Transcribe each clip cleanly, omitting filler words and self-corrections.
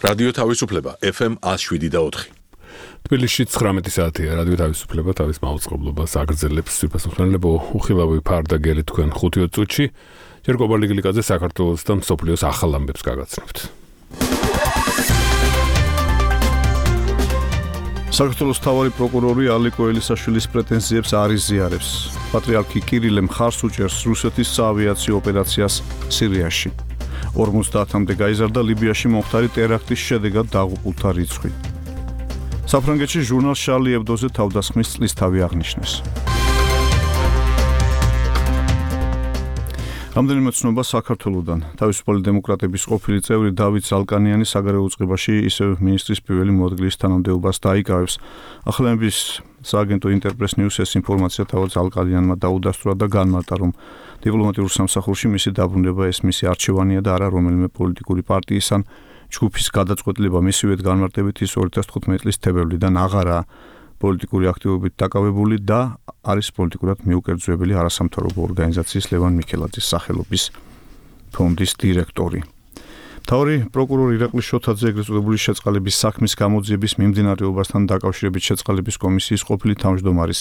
რადიო თავისუფლება FM 107.4. თბილისში 19 საათია რადიო თავისუფლება თავის მაუწყებლობას აგრძელებს სვიფასმხმელნებო უხილავი ფარდაგელი თქვენ 5 წუთში ჯერ გობალ ლიგლიკაძე საქართველოს და მსოფლიოს ახალ ამბებს გაგაცნობთ. საქართველოს მთავარი პროკურორი ალიკო ელისაშვილის პრეტენზიებს არ იზიარებს. პატრიარქი კირილე მხარს უჭერს რუსეთის საავიაციო ოპერაციას სირიაში. 50-მდე გაიზარდა ლიბიაში მომხდარი ტერაქტის შედეგად დაღუპულთა რიცხვი. საფრანგეთში ჟურნალ შარლი ებდოზე თავდასხმის წლისთავი აღნიშნეს. რამდენიმე ცნობა საქართველოდან. თავისუფალი დემოკრატების ყოფილი წევრი დავით ზალკანიანი საგარეო უწყებაში ისევ მინისტრის პირველი მოადგილის თანამდებობას დაიკავებს. ახლენების სააგენტო ინტერპრეს ნიუს ეს ინფორმაცია თავად ზალკანიანმა დაუდასტურა და განმარტა, რომ დიპლომატიურ სამსახურში მისი დაბრუნება ეს მისი არჩევანია და არა რომელიმე პოლიტიკური პარტიის ან ჯგუფის გადაწყვეტილება. მისივე განმარტებით ის 2015 წლის თებერვლიდან აღარაა პოლიტიკური აქტივობით დაკავებული და არის პოლიტიკურად მიუკერძოებელი არასამთავრობო ორგანიზაციის ლევან მიქელაძის სახელობის ფონდის დირექტორი. მთავარი პროკურორი ირაკლი შოთაძე ეგრეთ წოდებული შეწყალების საქმის გამოძიების მიმდინარეობასთან დაკავშირებით შეწყალების კომისიის ყოფილი თავმჯდომარის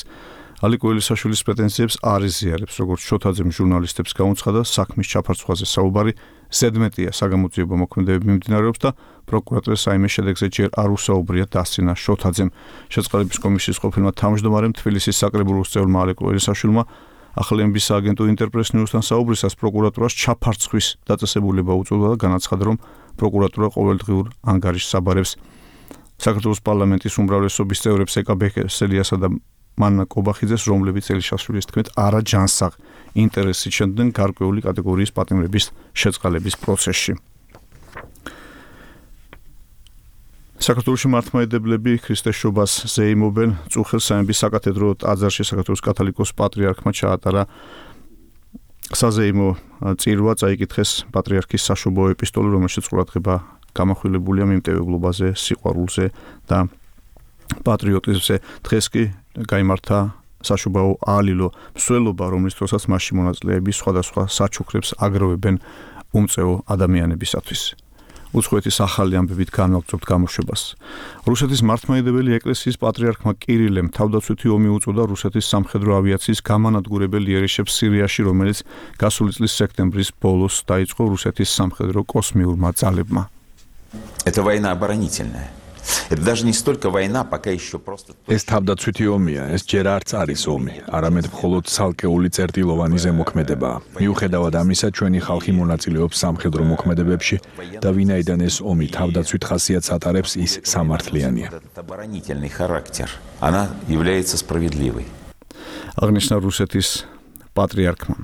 ალიკო ელისაშვილის პრეტენზიებს არ იზიარებს, როგორც შოთაძემ ჟურნალისტებს გაუცხადა, საქმის ჩაფარცხვაზე საუბარი ზედმეტია საგამოძიებო მოქმედებები მიმდინარეობს და პროკურატურას საიმე შედეგზე ჯერ არ უსაუბრია დასცინა შოთაძემ. შეწყალების კომისიის ყოფილმა თავმჯდომარემ თბილისის საკრებულოს წევრმა ალიკო ელისაშვილმა ახლენების სააგენტო ინტერპრეს ნიუსთან საუბრისას პროკურატურას ჩაფარცხვის დაწესებულება უწოდა და განაცხადა, რომ პროკურატურა ყოველდღიურ ანგარიშს აბარებს საქართველოს პარლამენტის უმრავლესობის წევრებს ეკა ბექესელიასა და მანნა კობახიძეს, რომლებიც ელისაშვილის თქმით არაჯანსაღ ინტერესით შედგნენ გარკვეული კატეგორიის პატიმრების შეწყალების პროცესში. საქართველოში მართლმადიდებლები ქრისტესშობას ზეიმობენ. წუხელ სამების საკათედრო ტაძარში საქართველოს კათოლიკოს პატრიარქმა ჩაატარა საზეიმო წირვა, წაიკითხეს პატრიარქის საშობაო ეპისტოლე, რომელშიც ყურადღება გამახვილებულია მიმტევებლობაზე, სიყვარულზე და პატრიოტიზმზე. დღეს კი გაიმართა საშობაო აალილო მსვლელობა, რომლის დროსაც მასში მონაწილეები სხვადასხვა საჩუქრებს აგროვებენ უმწეო ადამიანებისათვის. უცხოეთის ახალი ამბებით განვაგრძობთ გამოშვებას. რუსეთის მართლმადიდებელი ეკლესიის პატრიარქმა კირილემ თავდაცვითი ომი უწოდა რუსეთის სამხედრო ავიაციის გამანადგურებელ იერიშებს სირიაში, რომელიც გასული წლის სექტემბრის ბოლოს დაიწყო რუსეთის სამხედრო კოსმიურმა ძალებმა. Это война оборонительная. Это даже не столько война, пока еще просто... ეს თავდაცვითი ომია, ეს ჯერ არც არის ომი, არამედ მხოლოდ ცალკეული წერტილოვანი ზემოქმედებაა. მიუხედავად ამისა, ჩვენი ხალხი მონაწილეობს სამხედრო მოქმედებებში და ვინაიდან ეს ომი თავდაცვით ხასიათს ატარებს, ის სამართლიანია. оборонительный характер. Она является справедливой. აღნიშნა რუსეთის პატრიარქმა.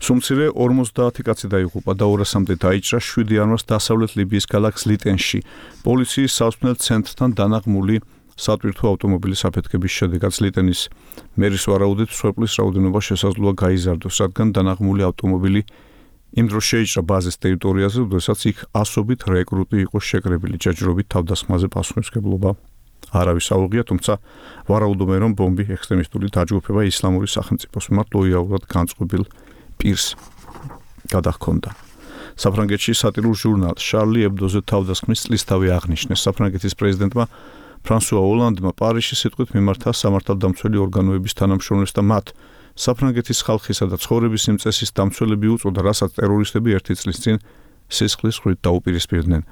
სუმცირე 50 კაცი დაიღუპა და 200-მდე დაიჭრა 7 იანვარს დასავლეთ ლიბიის ქალაქ ლიტენში. პოლიციის სასწავლელ ცენტრთან დანაღმული სატვირთო ავტომობილის აფეთქების შედეგად ლიტენის მერის ვარაუდით მსხვერპლის რაოდენობა შესაძლოა გაიზარდოს, რადგან დანაღმული ავტომობილი იმ დროს შეიჭრა ბაზის ტერიტორიაზე, როდესაც იქ ასობით რეკრუტი იყო შეკრებილი. ჯერჯერობით თავდასხმაზე პასუხისმგებლობა არავის აუღია, თუმცა ვარაუდობენ, რომ ბომბი ექსტრემისტული დაჯგუფება ისლამური სახელმწიფოს მიმართ ლოიალურად განწყობილ პირს გადაჰქონდა. საფრანგეთში სატირულ ჟურნალ შარლი ებდოზე თავდასხმის წლისთავი აღნიშნეს. საფრანგეთის პრეზიდენტმა ფრანსუა ოლანდმა პარიზში სიტყვით მიმართა სამართალდამცველი ორგანოების თანამშრომლებს და მათ საფრანგეთის ხალხისა და ცხოვრების იმ წესის დამცველები უწოდა, რასაც ტერორისტები ერთი წლის წინ სისხლის ხრით დაუპირისპირდნენ.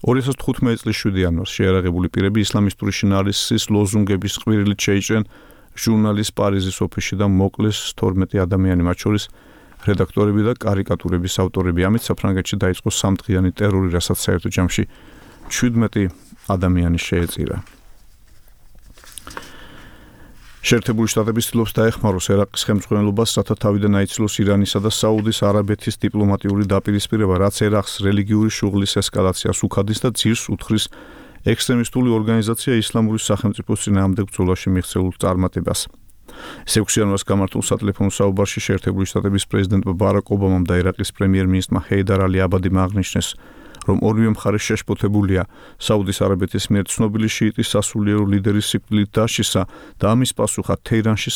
2015 წლის 7 იანვარს შეიარაღებული პირები ისლამისტური შინაარსის ლოზუნგების ყვირილით შეიჭრნენ ჟურნალის პარიზის ოფისში და მოკლეს 12 ადამიანი, მათ შორის რედაქტორები და კარიკატურების ავტორები. ამით საფრანგეთში დაიწყო სამდღიანი ტერორი, რასაც საერთო ჯამში 17 ადამიანი შეეწირა. შეერთებული შტატები ცდილობს დაეხმაროს ერაყის ხელმძღვანელობას, რათა თავიდან აიცილოს ირანისა და საუდის არაბეთის დიპლომატიური დაპირისპირება, რაც ერაყს რელიგიური შუღლის ესკალაციას უხადის და ძირს უთხრის ექსტრემისტული ორგანიზაცია ისლამური სახელმწიფოს წინააღმდეგ ბრძოლაში მიღწეულ წარმატებას. 6 იანვარს გამართულ სატელეფონო საუბარში შეერთებული შტატების პრეზიდენტმა ბარაკ ობამამ და ერაყის პრემიერ-მინისტრმა ჰეიდარ ალი აბადიმ აღნიშნეს, რომ ორივე მხარე შეშფოთებულია საუდის არაბეთის მიერ ცნობილი შიიტის სასულიერო ლიდერის სიკვდილით დაშიშსა და ამის პასუხად თეირანში